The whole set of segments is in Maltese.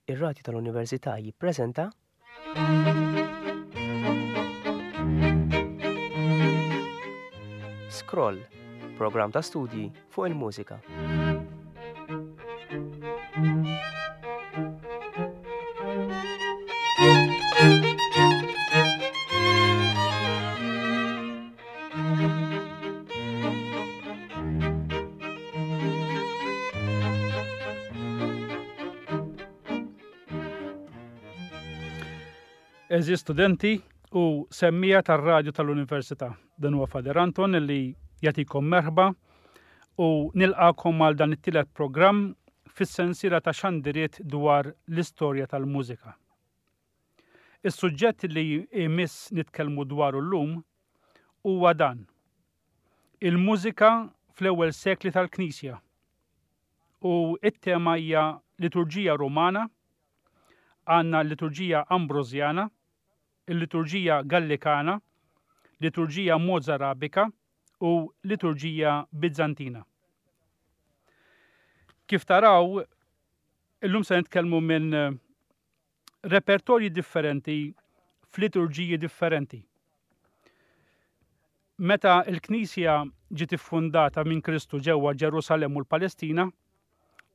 Ir-Radju tal-Università jippreżenta Scroll, programm ta' studji fuq il-mużika. Eżi studenti u semmija tar-radju tal-Università. Dan huwa Fader Anton li jagħtikom merħba u nilqakom għal dan it-tielet programm fis-sensiela ta' xandiriet dwar l-istorja tal-mużika. Is-suġġett li jmiss nitkellmu dwaru llum huwa dan. Il-mużika fl-ewwel sekli tal-Knisja. U it-tema hija liturġija Rumana, għandna l-liturġija Ambrosjana, il-liturġija Gallikana, liturġija Mozarabika u liturġija Bizantina. Kif taraw, illum se nitkellmu minn repertorji differenti f'liturġiji differenti. Meta l-Knisja ġiet iffundata minn Kristu ġewwa Ġerusalemm u l-Palestina,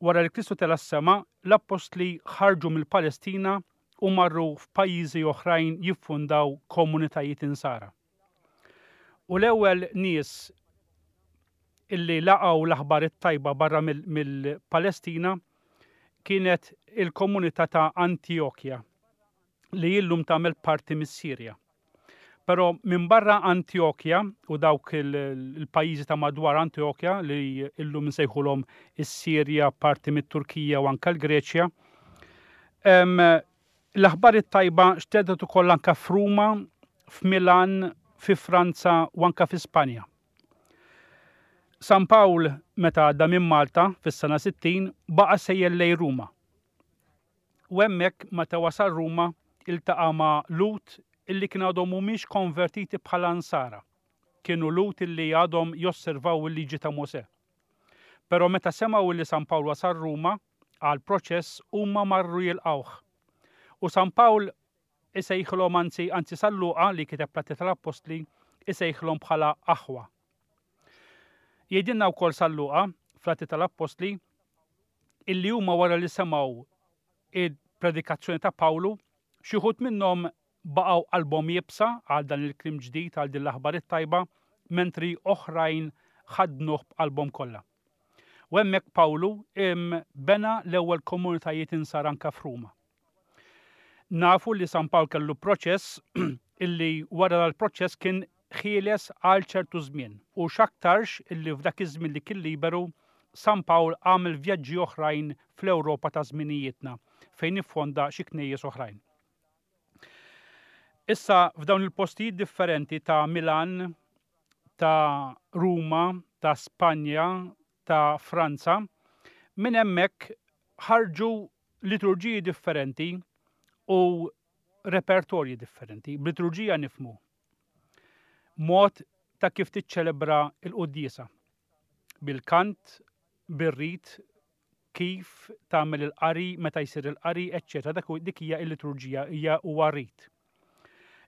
wara li Kristu tela' s-sema, l-appostli ħarġu mill-Palestina u marru f'pajjiżi oħrajn jiffundaw komunitajiet insara. U l-ewwel nies illi laqgħu l-aħbar it-tajba barra mill-Palestina kienet il-komunità ta' Antjokja li illum tagħmel parti mis-Sirja. Però minn barra Antjokja u dawk il-pajjiżi ta' madwar Antjokja li illum nsejħulhom is-Sirja, parti mit-Turkija u anke l-Greċja, L-aħbar it-tajba xterdet ukoll anke f'Ruma, f'Milan, fi Franza u anke fi Spanja. San Pawl meta għadda minn Malta fis-sena 60 baqa' sejjer lejn Ruma. U hemmhekk meta wasal Ruma iltaqa' ma' Lhud illi kien għadhom mhumiex konvertiti bħala Nsara. Kienu Lhud illi għadhom josservaw il-liġi ta' Mosè. Però meta semgħu illi San Pawl wasal Ruma, għall-proċess huma marru jilqgħuh. U San Pawl isejħilhom anzi anzi San Luqa li kiteb l-Atti tal-Appostli isejħilhom bħala aħwa. Jgħidilna wkoll San Luqa fl-Atti tal-Appostli illi huma wara li semgħu il-predikazzjoni ta' Pawlu, xi wħud minnhom baqgħu qalbhom iebsa għal dan il-kliem ġdid għal din l-aħbar it-tajba, mentri oħrajn ħaddnuh b'qalbhom kollha. U hemmhekk Pawlu bena l-ewwel komunitajiet insara anke f'Ruma. Nafu li San Pawl kellu proċess illi wara dal-proċess kien ħieles għal ċertu żmien u x'aktarx illi f'dak iż-żmien li kien liberu San Pawl għamel vjaġġi oħrajn fl-Ewropa ta' żminijietna fejn iffonda xi knejjes oħrajn. Issa f'dawn il-postijiet differenti ta' Milan, ta' Ruma, ta' Spanja, ta' Franza, minn hemmhekk ħarġu liturġiji differenti u repertorji differenti. B'liturġija nifmu mod ta' kif tiċċelebra l-quddiesa. Bil-kant, bir-rit, kif tagħmel il-qari, meta jsir il-qari, eċċetera. Dak dik hija l-liturġija, hija huwa rit.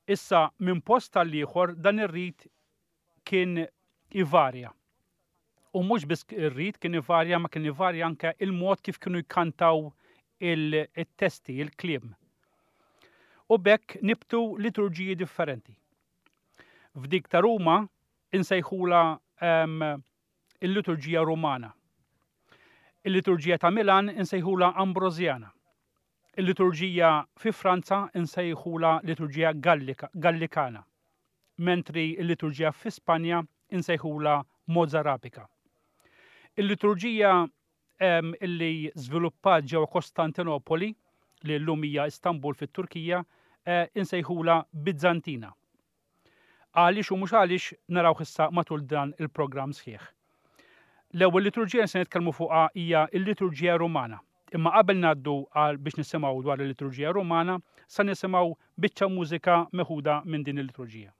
Issa minn post għal ieħor dan ir-rit kien ivarja. U mhux biss ir-rit kien ivarja, ma kien ivarja anke il-mod kif kienu jkantaw il-testi, il-kliem. U bekk nibtu liturġiji differenti. F'dik ta' Ruma insejħula ehm, il-liturġija Rumana. Il-liturġija ta' Milan insejħula Ambrosjana. Il-liturġija fi Franza insejħula liturġija Gallikana, mentri il-liturġija fi Spanja insejħula Mozarabika. Il-liturġija illi żviluppat ġewwa Kostantinopoli, li llum hija Istanbul fit-Turkija, eh, insejħula Bizantina. Għaliex u mhux għaliex narawh issa matul dan il-programm sħiħ. L-ewwel liturġija li se nitkellmu fuqha hija l-liturġija Rumana. Imma qabel ngħaddu għal biex nisimgħu dwar il-liturġija Rumana, sa nisimgħu biċċa mużika meħuda minn din il-liturġija.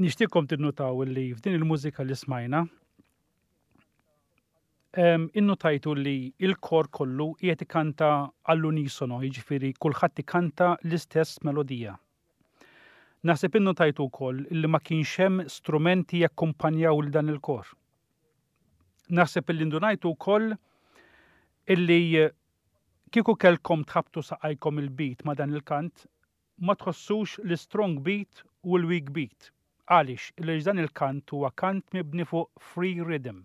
Nixtieqkom tinnutaw li f'din il-mużika li smajna innutajtu li il-kor kollu qiegħed ikanta għall-unisono, jiġifieri kulħadd ikanta l-istess melodija. Naħseb innutajtu wkoll li ma kienx hemm strumenti jakkumpanjaw lil dan il-kor. Naħseb illi ndunajtu wkoll illi kieku kellkom tħabbtu saqajkom il-beat ma' dan il-kant, ma tħossux l-strong beat u l-weak beat. Għaliex? Għaliex dan il-kant huwa kant mibni fuq free rhythm.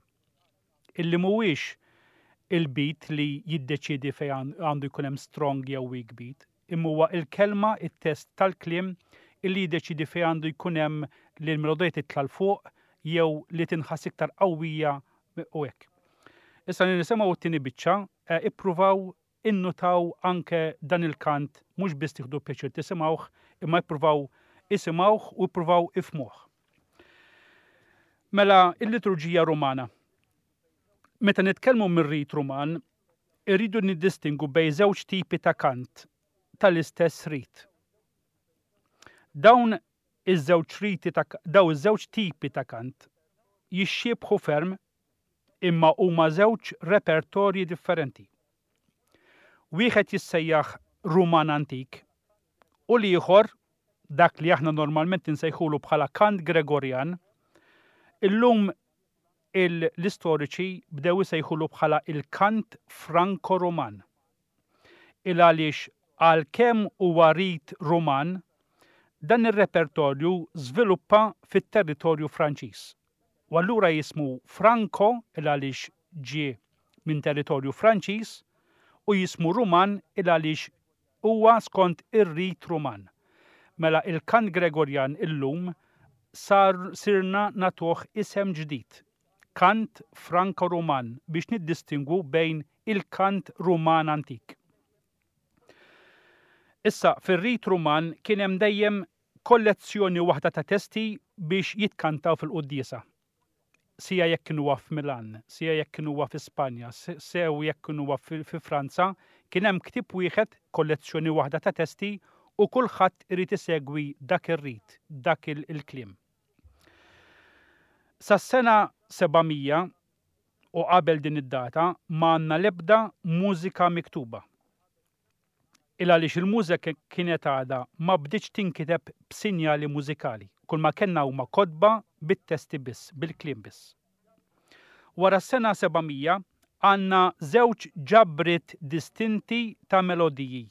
Illi mhuwiex il-beat li jiddeċiedi fejn għandu jkun hemm strong jew weak beat, imma huwa il-kelma, it-test tal-kliem illi jiddeċiedi fejn għandu jkun hemm li l-melodija titla' 'l fuq jew li tinħass iktar qawwija u hekk. Issa li nisimgħu t-tieni biċċa, eh, ippruvaw innutaw anke dan il-kant mhux biss tieħdu pjaċir tisimgħuh, imma ippruvaw isimgħuh u ippruvaw ifhmuh. Mela, il-liturġija Rumana. Meta nitkellmu mir-rit Ruman, irridu niddistingu bejn żewġ tipi ta' kant tal-istess rit. Dawn iż-żewġ riti ta' daw iż-żewġ tipi ta' kant jixxiebħu ferm imma huma żewġ repertorji differenti. Wieħed jissejjaħ Ruman Antik u l-ieħor, dak li aħna normalment insejħulu bħala kant Gregorjan, illum l-istoriċi bdew isejħulu bħala il-kant Franco-Ruman. Il għaliex għalkemm huwa rit Ruman, dan ir-repertorju żviluppa fit-territorju Franċiż. U allura jismu Franco il għaliex ġie minn territorju Franċiż u jismu Ruman il għaliex huwa skont ir-rit Ruman. Mela il-kant Gregorjan illum sar sirna nagħtuh isem ġdid, kant Franco-Ruman biex niddistingwu bejn il-kant Ruman antik. Issa, fir-rit Ruman kien hemm dejjem kollezzjoni waħda ta' testi biex jitkantaw fil-quddiesa. Sija jekk kien huwa f'Milan, sija jekk kien huwa fi Spanja, sew jekk kien huwa fi Franza, kien hemm ktieb wieħed, kollezzjoni waħda ta' testi u kulħadd irid isegwi dak ir-rit, dak il-kliem. Sas-sena 700 u qabel din id-data ma għandna l-ebda mużika miktuba. Il għaliex il-mużika kienet għadha ma bdietx tinkiteb b'sinjali mużikali, kulma kellna huma kotba bit-testi biss, bil-kliem biss. Wara s-sena 700 għandna żewġ ġabriet distinti ta' melodiji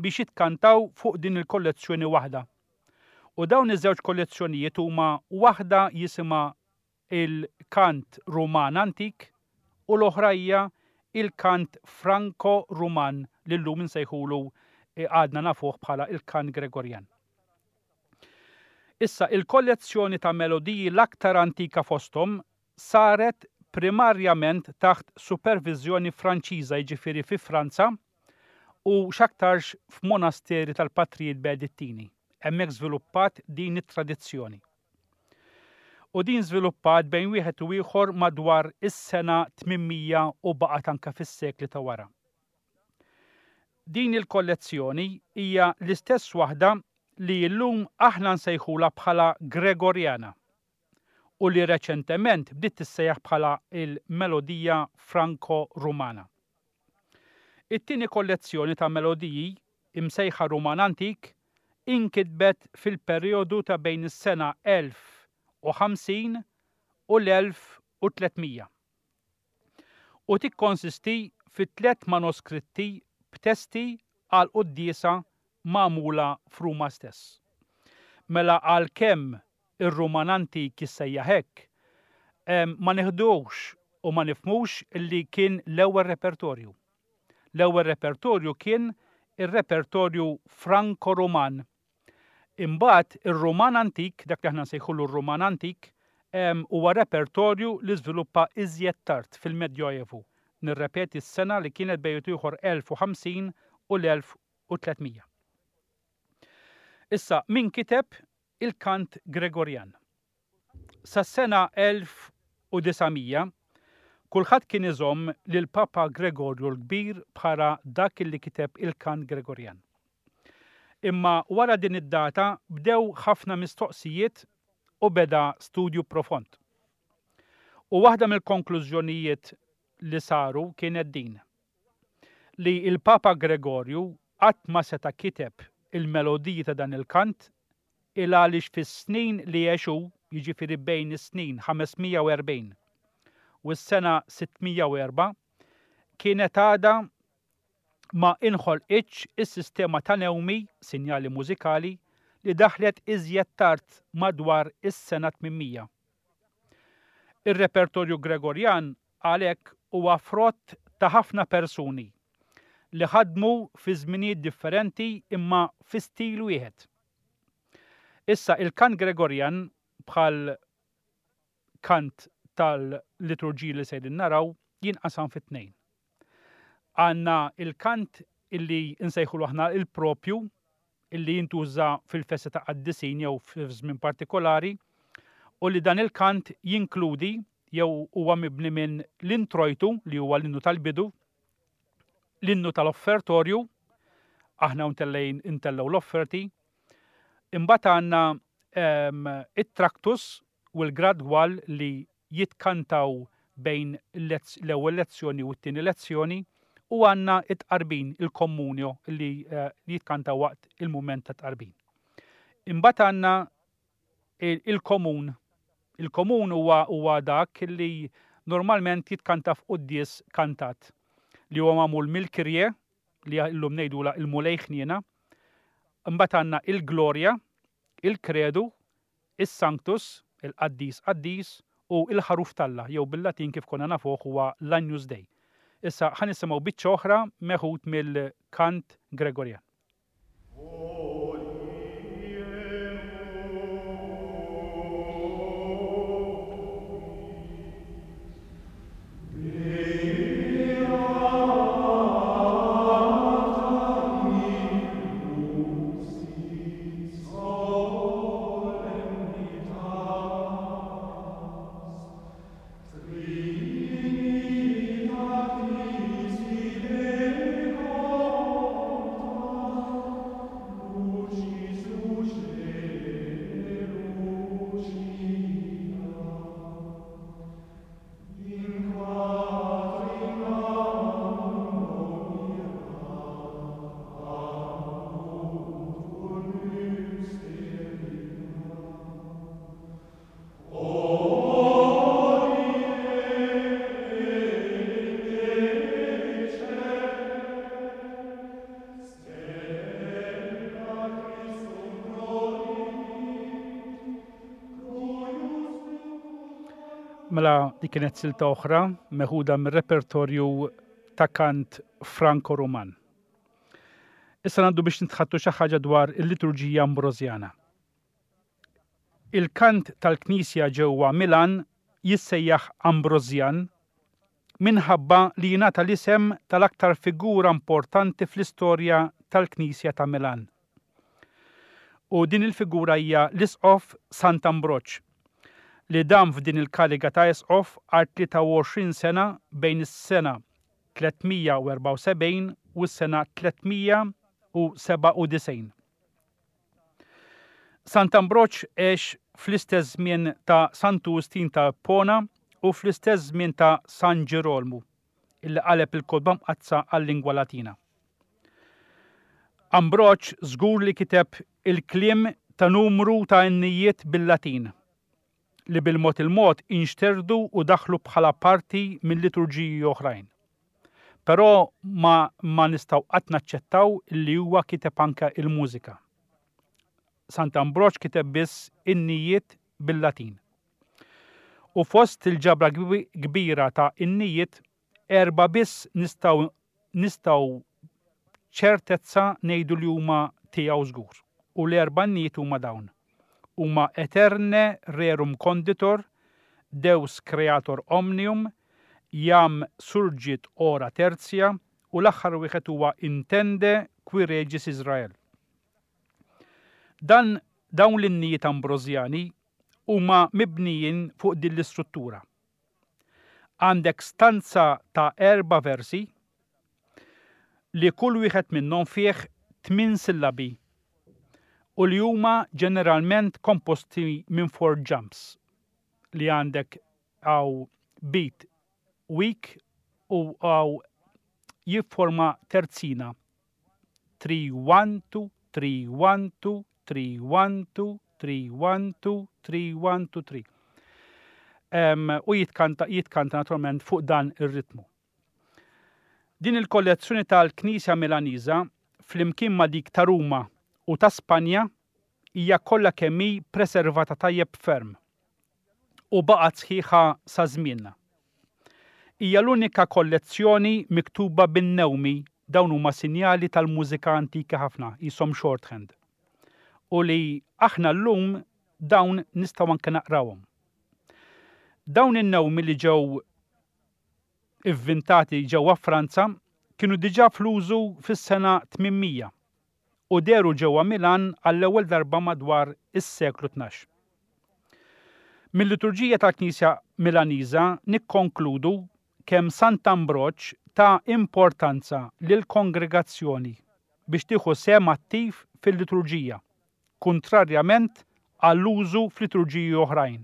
biex jitkantaw fuq din il-kollezzjoni waħda. U dawn iż-żewġ kollezzjonijiet huma waħda jisimha il-kant Ruman antik u l-oħra hija il-kant Franko-Ruman li llum insejħulu għadna nafuh bħala il-kant Gregorjan. Issa, il-kollezzjoni ta' melodiji l-aktar antika fosthom saret primarjament taħt superviżjoni Franċiża jiġifieri fi Franza u x'aktarx f'monasteri tal-Patrijiet Benedittini. Hemmhekk żviluppat din it-tradizzjoni. U din żviluppat bejn wieħed u ieħor madwar is-sena 800 u baqgħet anke fis-sekli ta' wara. Din il-kollezzjoni hija l-istess waħda li llum aħna nsejħulha bħala Gregorjana u li reċentement bdiet tissejjaħ bħala l-melodija Franco-Rumana. It-tieni kollezzjoni ta' melodiji, imsejħa Ruman Antik, inkitbet fil-perijodu ta' bejn is-sena 1050 u l-1300 u tikkonsisti fi tlett manuskritti b'testi għal quddiesa magħmula f'Ruma stess. Mela għalkemm ir-Ruman Antik jissejjaħ hekk, ma niħduhx u ma nifhmux li kien l-ewwel repertorju. L-ewwel repertorju kien ir-repertorju Franko-Ruman. Imbagħad ir-Ruman Antik, dak li aħna nsejħulu r-Ruman Antik, huwa repertorju li żviluppa iżjed tard fil-Medjoevu. Nirrepeti s-sena li kienet bejn ieħor 1050 u l-1300. Issa, min kiteb il-kant Gregorjan? Sas-sena 1900, kulħadd kien iżomm lil Papa Gregorju l-Kbir bħala dak li kiteb il-kant Gregorjan. Imma wara din id-data bdew ħafna mistoqsijiet u beda studju profond. U waħda mill-konklużjonijiet li saru kienet din, li l-Papa Gregorju qatt ma seta' kiteb il-melodiji ta' dan il-kant il-għaliex fis-snin li għex hu, jiġifieri bejn is-snin 540 u s-sena 604, kienet għadha ma inħolqitx is-sistema ta' newmi, sinjali mużikali, li daħlet iżjed tard madwar is-sena 800. Ir-repertorju Gregorjan għalhekk huwa frott ta' ħafna persuni li ħadmu fi żminijiet differenti imma fi stil wieħed. Issa il-kant Gregorjan bħal kant tal-liturġiji li sejrin naraw jinqasam fi tnejn. Għandna il-kant illi nsejħulu aħna il-propju illi jintuża fil-festa ta' qaddisin jew f'żmien partikolari u li dan il-kant jinkludi jew huwa mibni minn l-introjtu li huwa l-innu tal-bidu, l-innu tal-offertorju, aħna ntellejn intellgħu l-offerti, imbagħad għandna ehm, it-traktus u l-gradwal li jitkantaw bejn l-ewwel lezzjoni u t-tieni lezzjoni u għandna it-tqarbin, il-communio li eh, jitkantaw waqt il-mument ta' tqarbin. Imbagħad għandna il-komun. Il-komun huwa huwa dak li normalment jitkanta f'quddies kantat li huwa magħmul mill-kirje li llum ngħidula il-Mulej ħniena. Imbagħad għandna il-Glorja, il-Kredu, is-Sanctus, il-Qaddis Qaddis, u il-Ħaruf t'Alla, jew bil-Latin kif konna nafuh huwa l-Agnus Dei. Issa ħa nisimgħu biċċa oħra meħud mill-kant Gregorjan. Mela dik kienet silta oħra meħuda mir-repertorju ta' kant Franco-Ruman. Issa ngħaddu biex nitħattu xi ħaġa dwar il-liturġija Ambrosjana. Il-kant tal-knisja ġewwa Milan jissejjaħ Ambrosjan minħabba li jingħata l-isem tal-aktar figura importanti fl-istorja tal-Knisja ta' Milan. U din il-figura hija l-Isqof Sant'Ambroġ, li dam f'din il-kariga ta' isqof għal 23 sena bejn is-sena 374 u s-sena 397. Sant'Ambroġ għex fl-istess żmien ta' Santu Wistin ta' Ippona u fl-istess żmien ta' San Ġirolmu, illi qaleb il-Kotba Mqaddsa għal-lingwa Latina. Ambroġ żgur li kiteb il-kliem ta' numru ta' innijiet bil-Latin, li bil-mod il-mod inxterdu u daħlu bħala parti minn liturġiji oħrajn. Però ma ma nistgħu qatt naċċettaw li huwa kiteb anke il-mużika. Sant'Ambroġ kiteb biss innijiet bil-Latin. U fost il-ġabra kbira ta' innijiet Erbgħa biss nistgħu nistgħu b'ċertezza ngħidu li huma tiegħu żgur. U l-erbgħa innijiet huma dawn. Huma Aeterne rerum conditor, Deus creator omnium, Iam surgit ora tertia u l-aħħar wieħed huwa Intende qui regis Israel. Dan dawn l-innijiet Ambrosjani huma mibnijin fuq din l-istruttura. Għandek stanza ta' erba' versi li kull wieħed minnhom fih tmien sillabi. u li huma ġeneralment komposti minn four jumps li għandek hawn beat weak u hawn jifforma terzina 3 1 2 3 1 2 3 1 2 3 1 2 3 1 2 3. U jitkanta jitkanta naturalment fuq dan ir-ritmu. Din il-kollezzjoni tal-Knisja Milaniża flimkien ma' dik ta' Ruma u ta' Spanja hija kollha kemm hi preservata tajjeb ferm u baqgħet sħiħa sa żmienna. Hija l-unika kollezzjoni miktuba bin-newmi, dawn huma sinjali tal-mużika antika ħafna, qishom shorthand, u li aħna llum dawn nistgħu anke naqrawhom. Dawn in-newmi li ġew ivvintati ġewwa Franza kienu diġà fl-użu fis-sena 800 u dehru ġewwa Milan għall-ewwel darba madwar is-seklu 12. Mil-liturġija tal-Knisja Milaniża nikkonkludu kemm Sant'Ambroġ ta importanza lill-kongregazzjoni biex tieħu sehem attiv fil-liturġija, kuntrarjament għall-użu f'liturġiji oħrajn.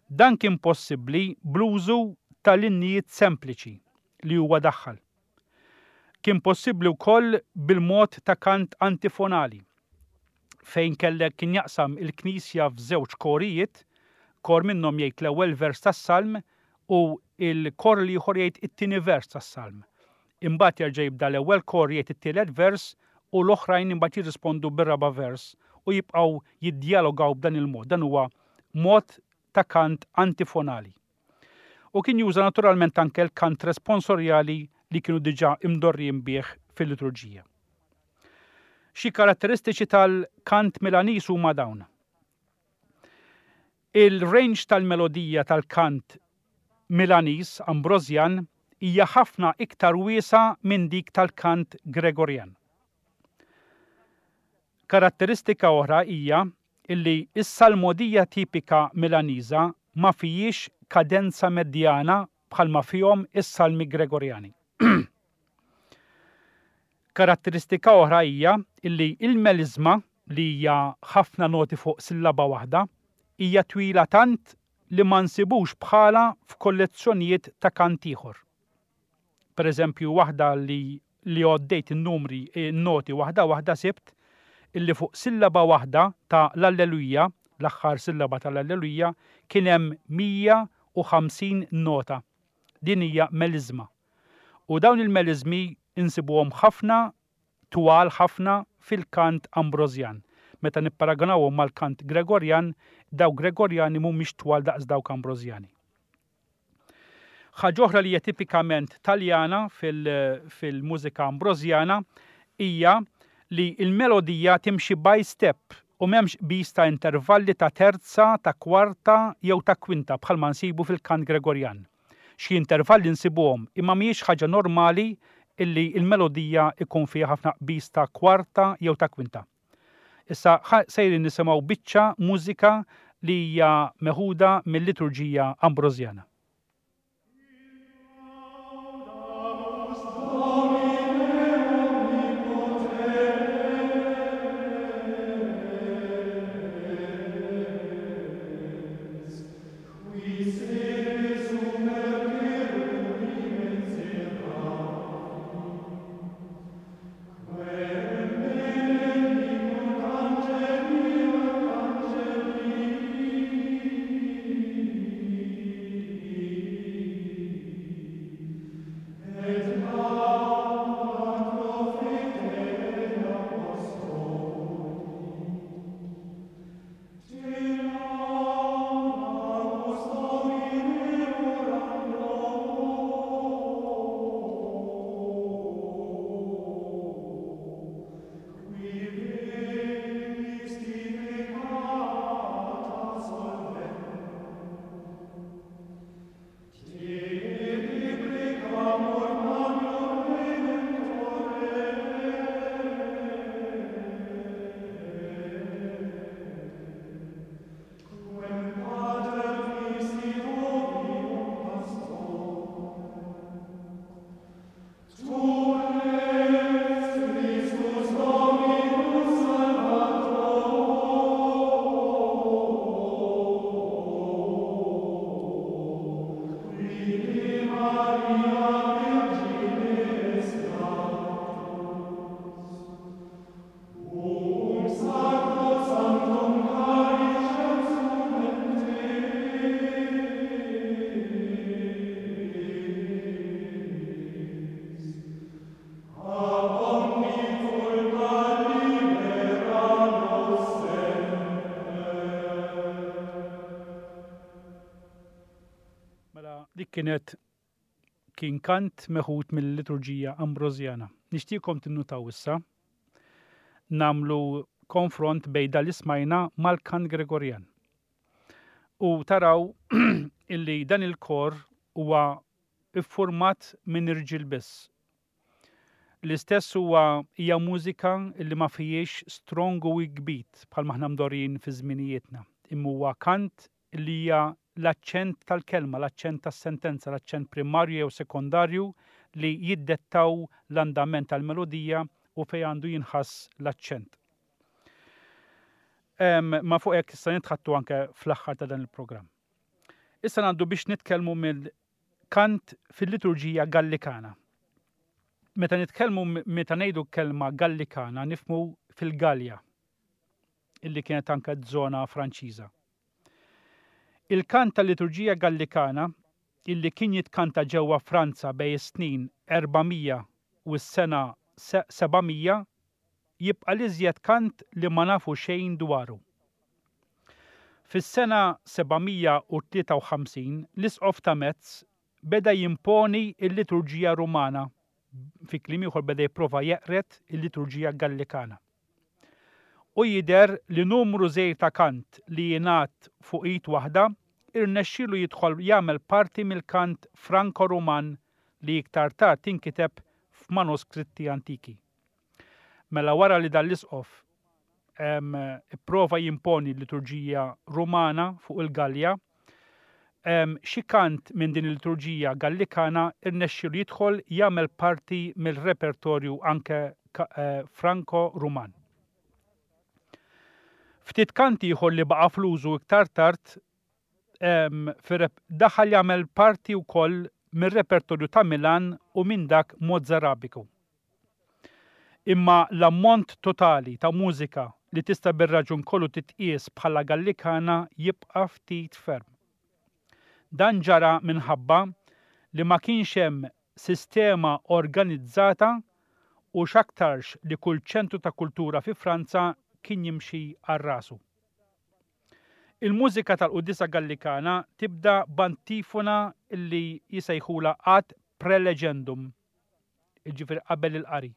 Dan kien possibbli bl-użu ta' linnijiet sempliċi li huwa daħħal. Kien possibbli wkoll bil-mod ta' kant antifonali, fejn kellek kien jaqsam il-knisja f'żewġ korijiet, kor minnhom jgħid l-ewwel vers tas-salm u l-kor l-ieħor jgħid it-tieni vers tas-salm. Imbagħad jerġa' jibda l-ewwel kor jgħid it-tielet vers u l-oħrajn imbagħad jirrispondu bir-raba' vers u jibqgħu jiddjalogaw b'dan il-mod. Dan huwa mod ta' kant antifonali. U kien juża naturalment anke l-kant responsorjali li kienu diġà imdorrijin bih fil-liturġija. Xi karatteristiċi tal-kant Milaniż huma dawn. Il-range tal-melodija tal-kant Milaniż Ambrosjan hija ħafna iktar wiesgħa minn dik tal-kant Gregorjan. Karatteristika oħra hija illi s-salmodija tipika Milaniża ma fihiex kadenza medjana bħalma fihom is-salmi Gregorjani. Karatteristika oħra hija illi l-meliżma, li hija ħafna noti fuq sillaba waħda, hija twila tant li ma nsibux bħalha f'kollezzjonijiet ta' kant ieħor. Per eżempju, waħda li li għoddejt in-numri, in-noti waħda waħda sibt illi fuq sillaba waħda ta' l-Alleluja, l-aħħar sillaba tal-Alleluja, kien hemm 150 nota. Din hija meliżma. U dawn il-meliżmi insibuhom ħafna twal ħafna fil-kant Ambrosjan. Meta nipparagunawhom mal-kant Gregorjan, dawk Gregorjani mhumiex twal daqs dawk Ambrosjani. Ħaġa oħra li hija tipikament Taljana fil-mużika Ambrosjana hija li l-melodija timxi by step u m'hemmx qbiż ta' intervalli ta' terza, ta' kwarta jew ta' kwinta bħalma nsibu fil-kant Gregorjan. Xi intervalli nsibuhom imma mhijiex ħaġa normali illi l-melodija jkun fiha ħafna qbiż ta' kwarta jew ta' kwinta. Issa sejrin nisimgħu biċċa mużika li hija meħuda mil-liturġija Ambrosjana. Dik kienet kien kant meħud mill-liturġija Ambrosjana. Nixtieqkom tinnutaw issa nagħmlu konfront bejn dan li smajna mal-kant Gregorjan. U taraw illi dan il-kor huwa iffurmat minn irġiel biss. L-istess huwa hija mużika li ma fihiex strong u weak beat bħalma aħna mdorrijin fi żminijietna, imma huwa kant li hija l-aċċent tal-kelma, l-aċċent tas-sentenza, l-aċċent primarju jew sekondarju li jiddettaw l-andament tal-melodija u fejn għandu jinħass l-aċċent. Ma fuq hekk issa nitħattu anke fl-aħħar ta' dan il-programm. Issa ngħaddu biex nitkellmu mill-kant fil-liturġija Gallikana. Meta nitkellmu meta ngħidu kelma Gallikana nifmu fil-Galja illi kienet anke żona Franċiża. Il-kant tal-liturġija Gallikana, illi kien jitkanta ġewwa Franza bejn is-snin 400 u s-sena 700, jibqa' l-iżjed kant li ma nafu xejn dwaru. Fis-sena 753 l-Isqof ta' Metz beda jimponi l-liturġija Rumana, fi kliem ieħor beda jipprova jeqred il-liturġija Gallikana. U jidher li numru żgħir ta' kant li jingħad fuq id waħda irnexxielu jidħol jagħmel parti mill-kant Franko-Ruman li iktar tard inkiteb f'manuskritti antiki. Mela wara li dan l-isqof ipprova jimponi l-liturġija Rumana fuq il-Gallja, xi kant minn din il-liturġija Gallikana rnexxielu jidħol jagħmel parti mill-repertorju anke eh, Franko-Ruman. Ftit kant ieħor li baqa' fl-użu iktar tard daħal jagħmel parti wkoll mir-repertorju ta' Milan u minn dak Mozarabiku. Imma l-ammont totali ta' mużika li tista' bir-raġun kollu titqies bħala Gallikana jibqa' ftit ferm. Dan ġara minħabba li ma kienx hemm sistema organizzata u x'aktarx li kull ċentru ta' kultura fi Franza kien jimxi għal rasu. Il-mużika tal-quddiesa Gallikana tibda b'antifona li jsejħulha ad prelegendum. jiġifieri qabel il-qari.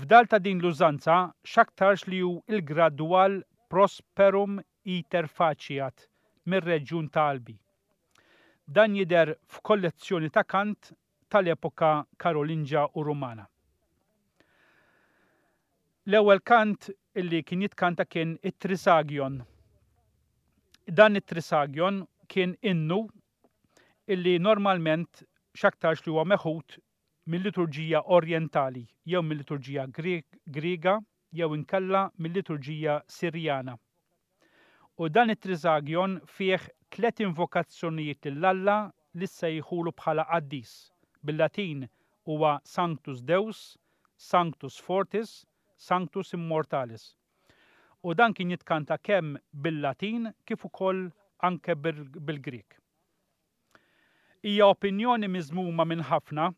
Fdal ta' din l-użanza x'aktarx li hu l-gradwal Prosperum iter faciat mir-reġjun ta' Albi. Dan jidher f'kollezzjoni ta' kant tal-epoka Karolinġa u Rumana. L-ewwel kant li kien jitkanta kien it-Trisagion. Dan it-Trisagion kien innu illi normalment x'aktarx li huwa meħud mil-liturġija Orjentali jew mil-liturġija Griega jew inkella mil-liturġija Sirjana. U dan it-Trisagion fih tliet invokazzjonijiet lil Alla li ssejħulu bħala qaddis. Bil-Latin huwa Sanctus Deus, Sanctus Fortis, Sanctus Immortalis. U dan kien jitkanta kemm bil-Latin kif ukoll anke bil-Grieg. Hija opinjoni miżmuma minn ħafna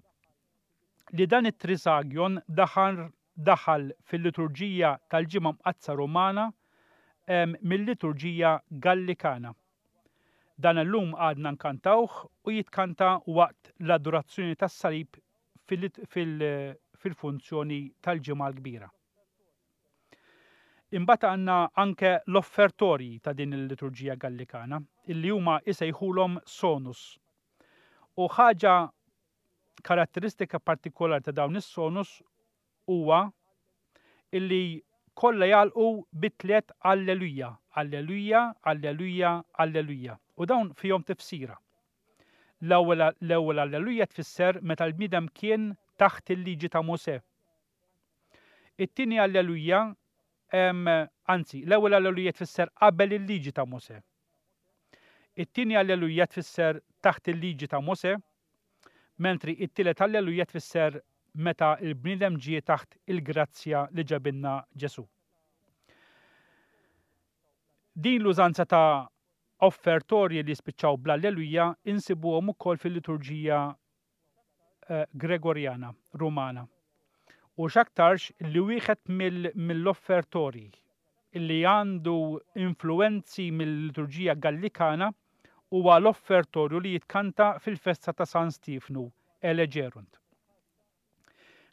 li dan it-Trisagion daħal daħal fil-liturġija tal-Ġimgħa Mqaddsa Rumana mil-liturġija Gallikana. Dan illum għadna nkantawh u jitkanta waqt l-adorazzjoni tas-salib fil-funzjoni tal-Ġimgħa l-Kbira. Imbagħad għandna anke l-offertorji ta' din il-liturġija Gallikana, illi huma isejħulhom sonus. U ħaġa karatteristika partikolari ta' dawn is-sonus huwa illi kollha jagħlqu bi tliet alleluja, alleluja, alleluja, alleluja. U dawn fihom tifsira. L-ewwel l-ewwel alleluja tfisser meta l-bniedem kien taħt il-liġi ta' Mosè. It-tieni Alleluja, anzi, l-ewwel Alleluja tfisser qabel il-liġi ta' Mosè. It-tieni Alleluja tfisser taħt il-liġi ta' Mosè, mentri it-tielet Alleluja tfisser meta l-bniedem ġie taħt il-grazzja li ġabilna Ġesù. Din l-użanza ta' offertorji li jispiċċaw bl-Alleluja insibuhom ukoll fil-liturġija Gregorjana, Rumana. U x'aktarx li wieħed mill-offertorji li għandu influwenzi mill-liturġija Gallikana huwa l-offertorju li jitkanta fil-festa ta' San Stiefnu, Elegerunt.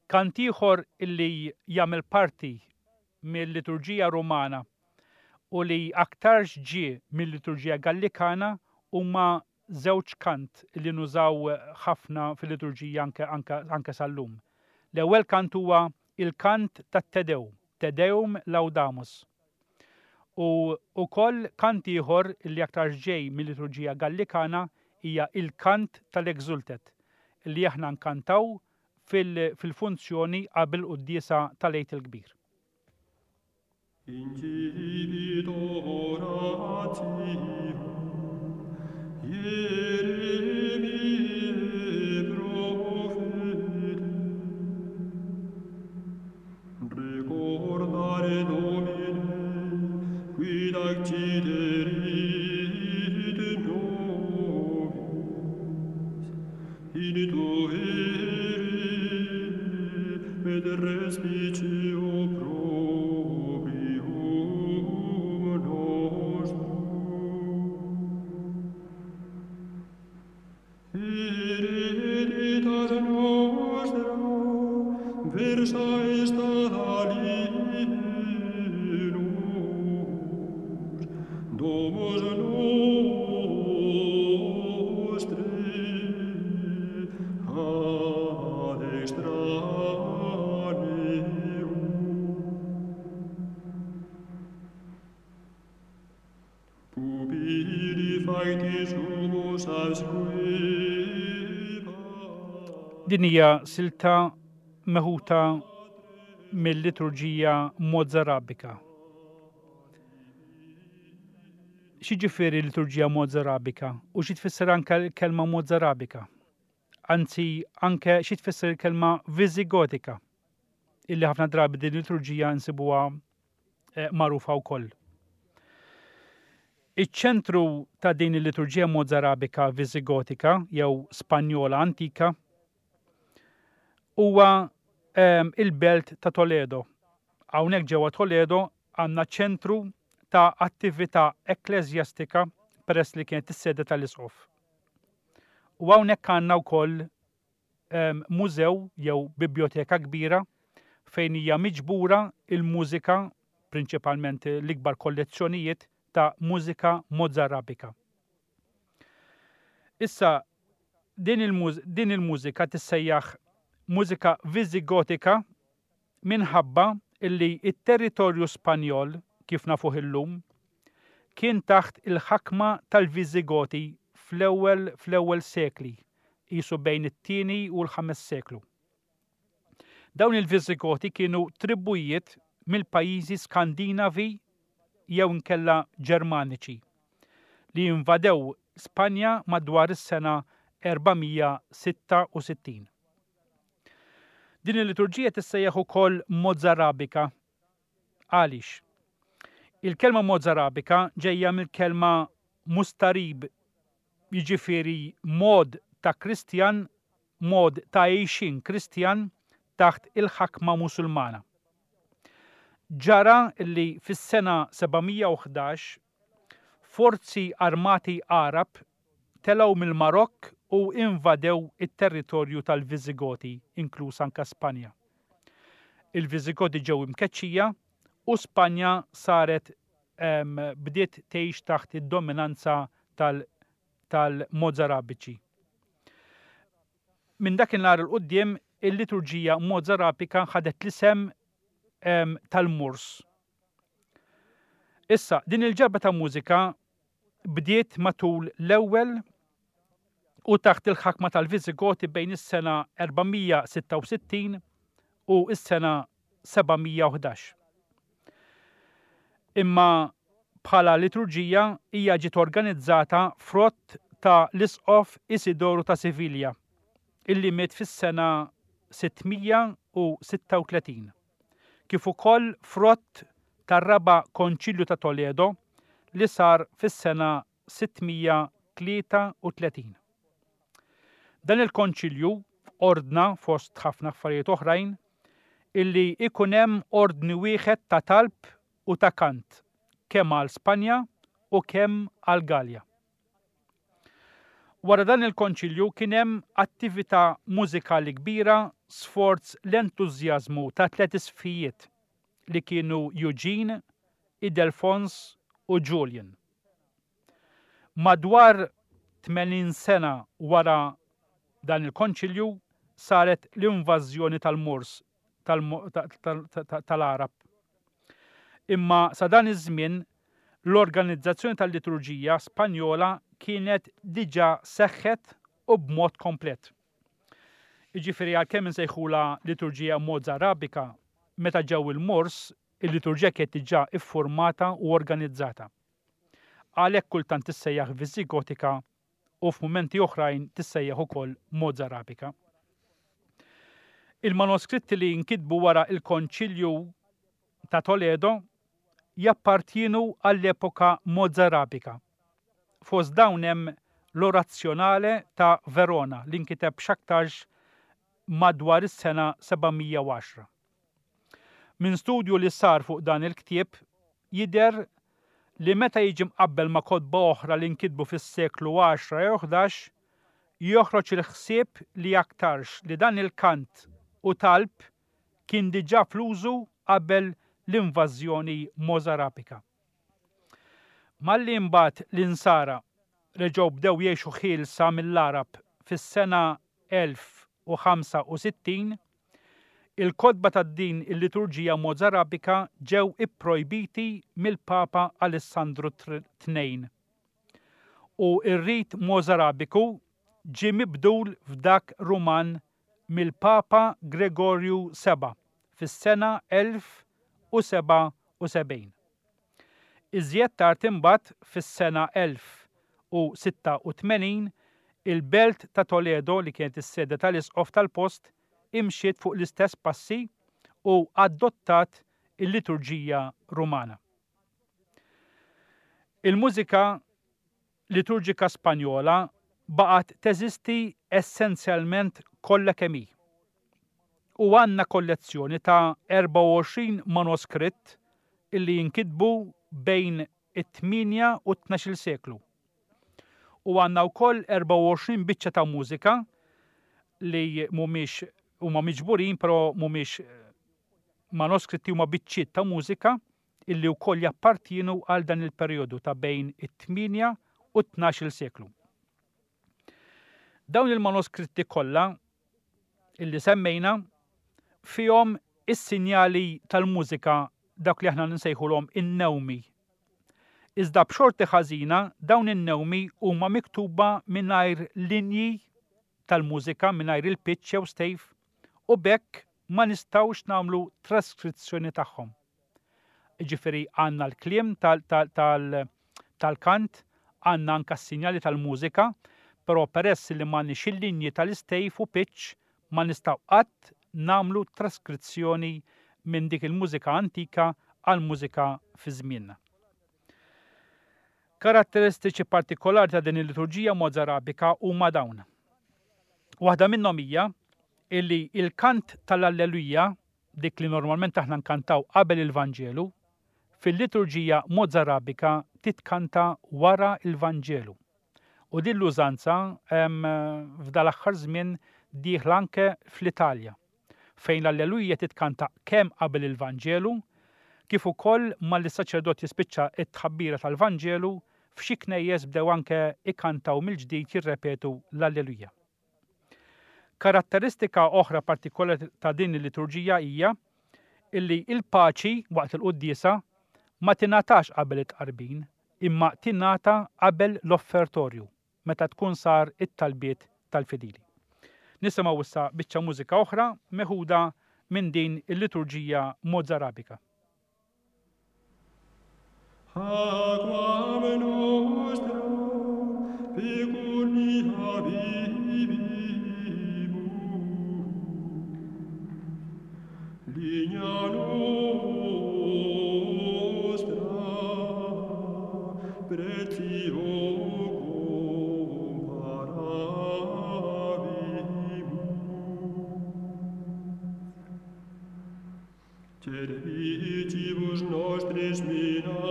Kant ieħor li jagħmel parti mil-liturġija Rumana u li aktarx ġie mil-liturġija Gallikana huma żewġ kant li nużaw ħafna fil-liturġija anke, anke, anke sal-lum. L-ewwel kant huwa il-kant tat-Te Deum, Te Deum Laudamus. U wkoll kant ieħor li aktarx ġej mil-liturġija Gallikana hija il-kant tal-Exultet li aħna nkantaw fil-funzjoni qabel quddiesa tal-Għid il-Kbir. Incipit oratio Ieremiae prophetae. Recordare Domine, quid acciderit nobis, in tueri et respicio proprium nostrum. Hereditas nostra versa est ad alienos, domus nostri ad extraneum. Pupilli facti sumus absquiba. Din hija silta meħuta mill-liturġija Mozarabika. X'jiġifieri liturġija Mozarabika u xi tfisser anke l-kelma Mozarabika? Anzi, anke xi tfisser il-kelma Viżigotika, illi ħafna drabi din il-liturġija nsibuha magħrufa wkoll. Iċ-ċentru ta' din il-liturġija Mozarabika Viżigotika jew Spanjola antika huwa il-belt ta' Toledo. Hawnhekk ġewwa Toledo għandna ċentru ta' attività ekkleżjastika peress li kienet is-sede tal-isqof. U hawnhekk għandna wkoll mużew jew biblioteka kbira fejn hija miġbura il-mużika, prinċipalment l-ikbar kollezzjonijiet ta' mużika Mozarabika. Issa, din il-mużika tissejjaħ mużika Viżigotika minħabba illi t-territorju Spanjol, kif nafuh illum, kien taħt il-ħakma tal-Viżigoti fl-ewwel fl-ewwel sekli, qisu bejn it-tieni u l-ħames seklu. Dawn il-Viżigoti kienu tribujiet mill-pajjiżi Skandinavi jew inkella Ġermaniċi li invadew Spanja madwar is-sena 466. Din il-liturġija tissejjaħ ukoll Mozarabika. Għaliex? Il-kelma Mozarabika ġejja mill-kelma mustarib, jiġifieri mod ta' Kristjan, mod ta' għixien Kristjan taħt il-ħakma Musulmana. Ġara li fis-sena 711 forzi armati Għarab telgħu mill-Marokk u invadew it-territorju tal-Viżigoti, inkluż anke Spanja. Il-Viżigoti ġew imkeċċija u Spanja saret bdiet tgħix taħt id-dominanza tal-Mozarabiċi. Minn dakinhar 'il quddiem il-liturġija Mozarabika ħadet l-isem tal-Murs. Issa, din il-ġabra ta' mużika bdiet matul l-ewwel u taħt il-ħakma tal-Viżigoti bejn is-sena 466 u s-sena 711. Imma bħala liturġija hija ġiet organizzata frott ta' l-Isqof Isidoru ta' Sivilja, illi miet fis-sena 636. kif ukoll frott tar-Raba' Konċilju ta' Toledo li sar fis-sena 633. Dan il-konċilju ordna, fost ħafna affarijiet oħrajn, illi ikun hemm ordni wieħed ta' talb u ta' kant kemm għal Spanja u kemm għall-Galja. Wara dan il-konċilju kien hemm attività mużikali kbira sforz l-entużjażmu ta' tliet isqfijiet li kienu Eugene, Idelfons u Julian. Madwar 80 sena wara dan il-konċilju saret l-invażjoni tal-Moors tal-Għarab. Imma sa dan iż-żmien l-organizzazzjoni tal-liturġija Spanjola kienet diġà seħħet u b'mod komplet. Jiġifieri għalkemm insejħulha liturġija Mozarabika, meta ġew il-Moors, il-liturġija kienet diġà iffurmata u organizzata. Għalhekk kultant tissejjaħ Viżigotika u f'mumenti oħrajn tissejjaħ ukoll Mozarabika. Il-manuskritti li nkitbu wara il-Konċilju ta' Toledo jappartjienu għall-epoka Mozarabika. Fost dawn hemm l-Orazzjonale ta' Verona li nkiteb x'aktarx madwar is-sena 710. Minn studju li sar fuq dan il-ktieb jidher li meta jiġi mqabbel ma' kotba oħra li nkitbu fis-seklu 10 jew 11, joħroġ il-ħsieb li aktarx li dan il-kant u talb kien diġà fl-użu qabel l-invażjoni Mozarabika. Malli imbagħad l-Insara reġgħu bdew jgħixu ħielsa mill-Għarab fis-sena 1065, il-kotba ta' din il-liturġija Mozarabika ġew ipprojbiti mill-Papa Alessandru II u r-rit Mozarabiku ġie mibdul f'dak Ruman mill-Papa Gregorju VII fis-sena 1077. Iżjed tard imbagħad fis-sena 1086 il-belt ta' Toledo li kienet is-sede tal-isqof tal-post imxiet fuq l-istess passi u adottat il-liturġija Rumana. Il-mużika liturġika Spanjola baqgħet teżisti essenzjalment kollha kemm hi. U għandna kollezzjoni ta' 24 manuskritt illi jinkitbu bejn it-8 u t-12 seklu. U għandna wkoll 24 biċċa ta' mużika li mhumiex huma miġburin però mhumiex manuskritti huma biċċiet ta' mużika illi wkoll jappartienu għal dan il-perjodu ta' bejn it-8 u t-12 seklu. Dawn il-manuskritti kollha illi semmejna fihom is-sinjali tal-mużika dak li aħna nsejħulhom in-newmi. Iżda b'xorti ħażina dawn in-newmi huma miktuba mingħajr linji tal-mużika mingħajr il-pitch jew stave u b'hekk ma nistgħux nagħmlu traskrizzjoni tagħhom. Ġifieri għandna l-kliem tal-kant, għandna anka s-sinjali tal-mużika, però peress li m'għandniex il-linji tal-istave u pitch ma nistgħu qatt nagħmlu traskrizzjoni minn dik il-mużika antika għal mużika fi żmienna. Karatteristiċi partikolari ta' din il-liturġija Mozarabika huma dawn. Waħda minnhom hija illi il-kant tal-Alleluja, dik li normalment aħna nkantaw qabel il-Vanġelu, fil-liturġija Mozarabika titkanta wara il-Vanġelu. U din l-użanza f'dal-aħħar żmien dieħla anke fl-Italja, fejn l-Alleluja titkanta kemm qabel il-Vanġelu, kif ukoll malli s-saċerdot jispiċċa t-tħabbira tal-Vanġelu, f'xi knejjes bdew anke ikantaw mill-ġdid jirrepetu l-Alleluja. Karatteristika oħra partikolari ta' din il-liturġija hija illi il-paċi waqt il-quddiesa ma tingħatax qabel it-tqarbin, imma tingħata qabel l-offertorju meta tkun sar it-talbiet tal-fidili. Nisimgħu issa biċċa mużika oħra meħuda minn din il-liturġija Mozarabika. Aquam nostra pecunia vivimus, Ligna nostra pretio comparavimus. Servitibus nostris minamur,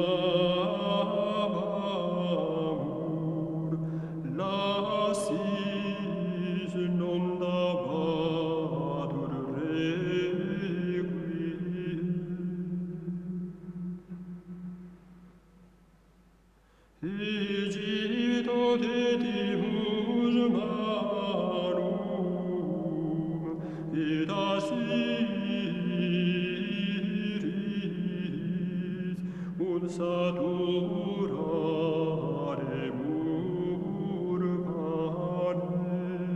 lascimus. Egypto dedimus manum, et Assyris, ut saturaremur panem.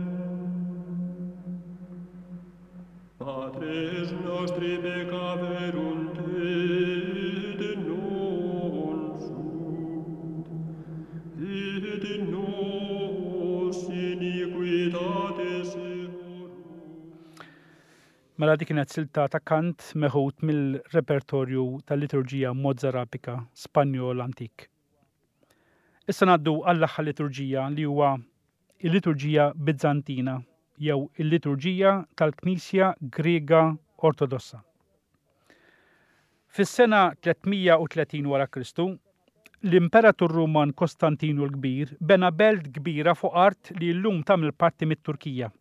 Patres nostri peccaverunt et non sunt, et nos iniquitates eorum. Mela dik kienet silta ta' kant meħud mill-repertorju tal-liturġija Mozarabika Spanjol antik. Issa ngħaddu għall-aħħar liturġija li huwa il-liturġija Bizzantina jew il-liturġija tal-Knisja Griega Ortodossa. Fis-sena 330 wara Kristu, l-Imperatur Ruman Kostantinu l-Kbir bena belt kbira fuq art li llum tagħmel parti mit-Turkija.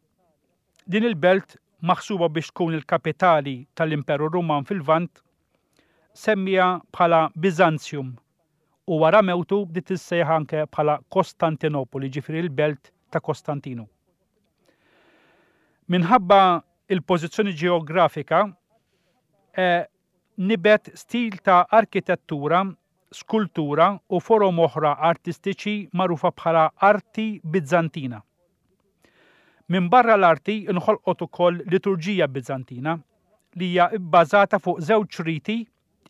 Din il-belt, maħsuba biex tkun il-kapitali tal-Imperu Ruman fil-Lvant, semmiha bħala Biżanzjum u wara mewtu bdiet tissejjaħ anke bħala Kostantinopoli, jiġifieri l-belt ta' Kostantinu. Minħabba il-pożizzjoni ġeografika, eh, nibet stil ta' arkitettura, skultura u forom oħra artistiċi magħrufa bħala arti Bizzantina. Minbarra l-arti nħolqot ukoll liturġija Bizzantina li hija bbażata fuq żewġ riti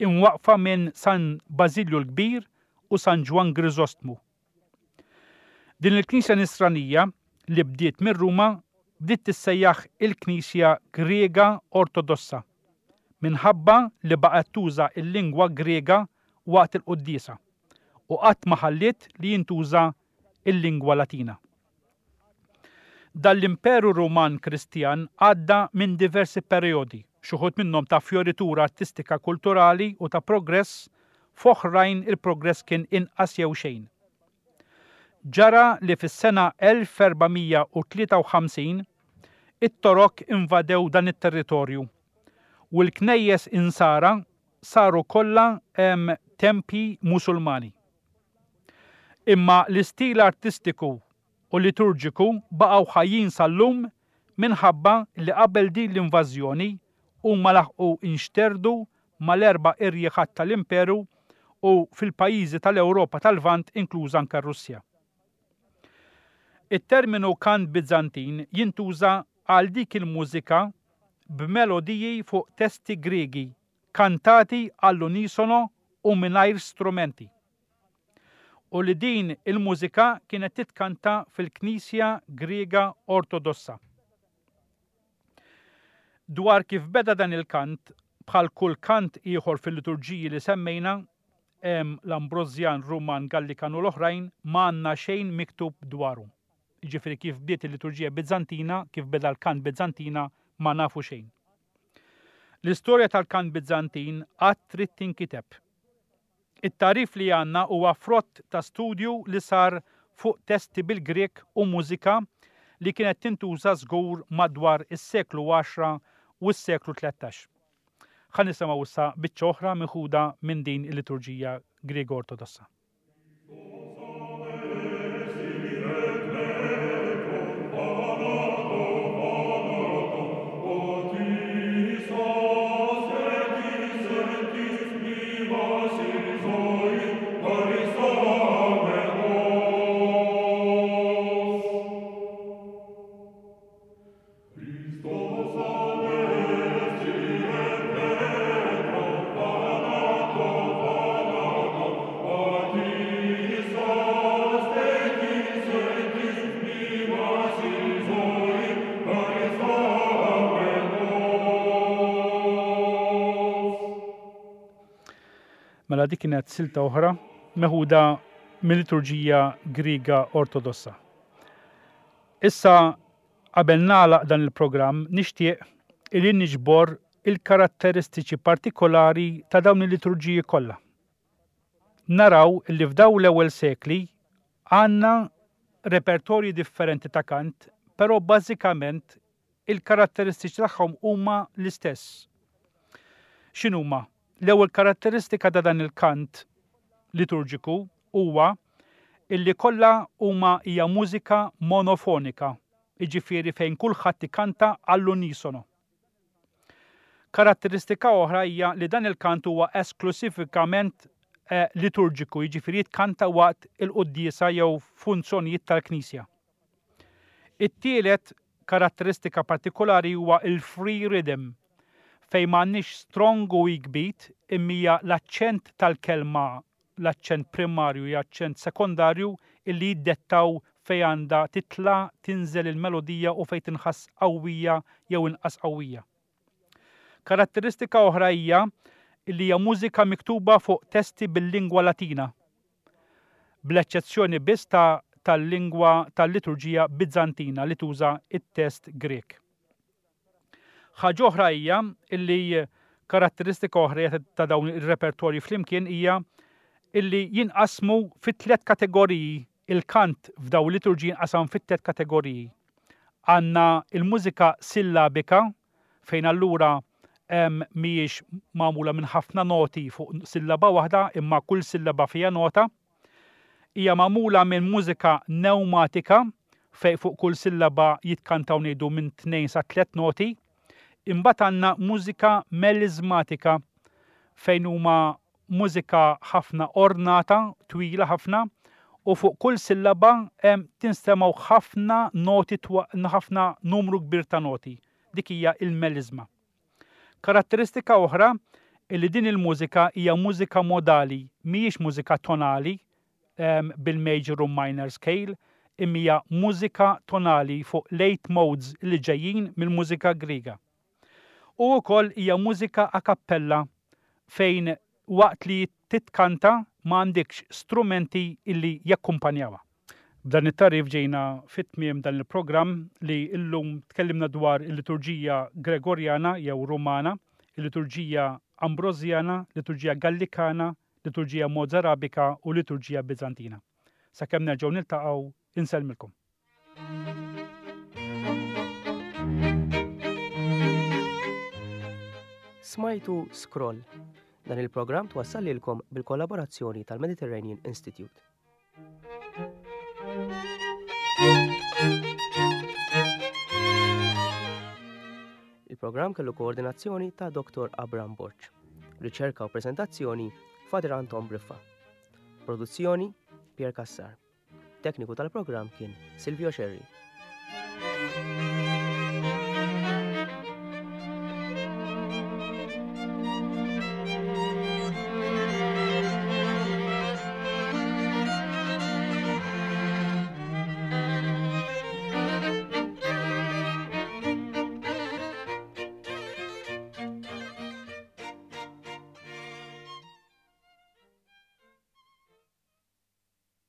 imwaqqfa minn San Bażilju l-Kbir u San Ġwann Griżostmu. Din il-Knisja Nisranija li bdiet minn Ruma bdiet tissejjaħ il-Knisja Griega Ortodossa minħabba li baqgħet tuża l-lingwa Griega waqt il-quddiesa u qatt ma ħalliet li jintuża l-lingwa Latina. Dan l-Imperu Ruman Kristjan għadda minn diversi perjodi, x'uħud minnhom ta' fjoritura artistika kulturali u ta' progress, f'oħrajn il-progress kien inqas jew xejn. Ġara li fis-sena 1453 it-Torok invadew dan it-territorju u l-knejjes Insara saru kollha tempji Musulmani. Imma l-istil artistiku u liturġiku baqgħu ħajjin sal-lum minħabba li qabel din l-invażjoni huma laħqu nxterdu mal-erba' irjieħat tal-Imperu u fil-pajjiżi tal-Ewropa tal-Lvant inkluża anke r-Russja. It-terminu kant Biżantin jintuża għal dik il-mużika b'melodiji fuq testi Griegi kantati għall-unisono u mingħajr strumenti. U li din il-mużika kienet titkanta fil-Knisja Griega Ortodossa. Dwar kif beda dan il-kant, bħal kull kant ieħor fil-liturġiji li semmejna, l-Ambrosjan, Ruman, Gallikan u l-oħrajn, ma għandna xejn miktub dwaru. Jiġifieri kif bdiet il-liturġija Bizzantina, kif beda l-kant Bizzantina, ma nafu xejn. L-istorja tal-kant Bizzantin għad trid tinkiteb. It-tagħrif li għandna huwa frott ta' studju li sar fuq testi bil-Grieg u mużika li kienet tintuża żgur madwar is-seklu għaxra u s-seklu 13. Ħa nisimgħu issa biċċa oħra meħuda minn din il-liturġija Griega Ortodossa. Mela dik kienet silta oħra meħuda mill-liturġija Griega Ortodossa. Issa Qabel nagħlaq dan il-programm nixtieq illi niġbor il-karatteristiċi partikolari ta' dawn il-liturġiji kollha. Naraw illi f'dawn l-ewwel sekli għandna repertorji differenti ta' kant, però bażikament il-karatteristiċi tagħhom huma l-istess. X'inhuma? L-ewwel karatteristika ta' dan il-kant liturġiku huwa illi kollha huma hija mużika monofonika, jiġifieri fejn kulħadd ikanta għall-unisono. Karatteristika oħra hija li dan il-kant huwa esklusivikament eh, liturġiku, jiġifieri jitkanta waqt il-quddiesa jew funzjonijiet tal-Knisja. It-tielet karatteristika partikolari huwa il-free rhythm, fejn m'għandniex strong u weak beat imma hija l-aċċent tal-kelma l-aċċent primarju jew aċċent sekondarju illi jiddettaw fejn għandha titla' tinżel il-melodija u fejn tinħass qawwija jew inqas qawwija. Karatteristika oħra hija li hija mużika miktuba fuq testi bil-lingwa Latina, bl-eċċezzjoni biss ta' tal-lingwa tal-liturġija Bizzantina li tuża t-test Grieg. Ħaġa oħra hija illi karatteristika oħra ta' dawn ir-repertorji flimkien hija illi jinqasmu fi tliet kategoriji il-kant f'dawn liturġiji jinqasam fi tliet kategoriji. Għandna il-mużika sillabika fejn allura mhijiex magħmula minn ħafna noti fuq sillaba waħda imma kull sillaba fiha nota. Hija magħmula minn mużika newmatika fejn fuq kull sillaba jitkantaw ngħidu minn tnejn sa tliet noti. Imbagħad għandna mużika meliżmatika fejn huma mużika ħafna ornata, twila ħafna, u fuq kull sillaba tinstemgħu ħafna noti ħafna numru kbir ta' noti. Dik hija il-meliżma. Karatteristika oħra illi din il-mużika hija mużika modali, mhijiex mużika tonali bil-major u minor scale, imma hija mużika tonali fuq late modes li ġejjin mill-mużika Griega. U wkoll hija mużika a cappella fejn waqt li titkanta ma għandikx strumenti illi jakkumpanjawha. B'dan it-tagħrif ġejna fi tmiem dan il-programm li llum tkellimna dwar il-liturġija Gregorjana jew Rumana, il-liturġija Ambrosjana, liturġija Gallikana, liturġija Mozarabika u liturġija Biżantina. Sakemm nerġgħu niltaqgħu, insellmilkom. Smajtu Scroll. Dan il-programm twassal lilkom bil-kollaborazzjoni tal-Mediterranean Institute. Il-programm kellu koordinazzjoni ta' Dr. Abram Borg. Riċerka u prezentazzjoni Father Anton Briffa. Produzzjoni Pier Cassar. Tekniku tal-programm kien Silvio Scerri.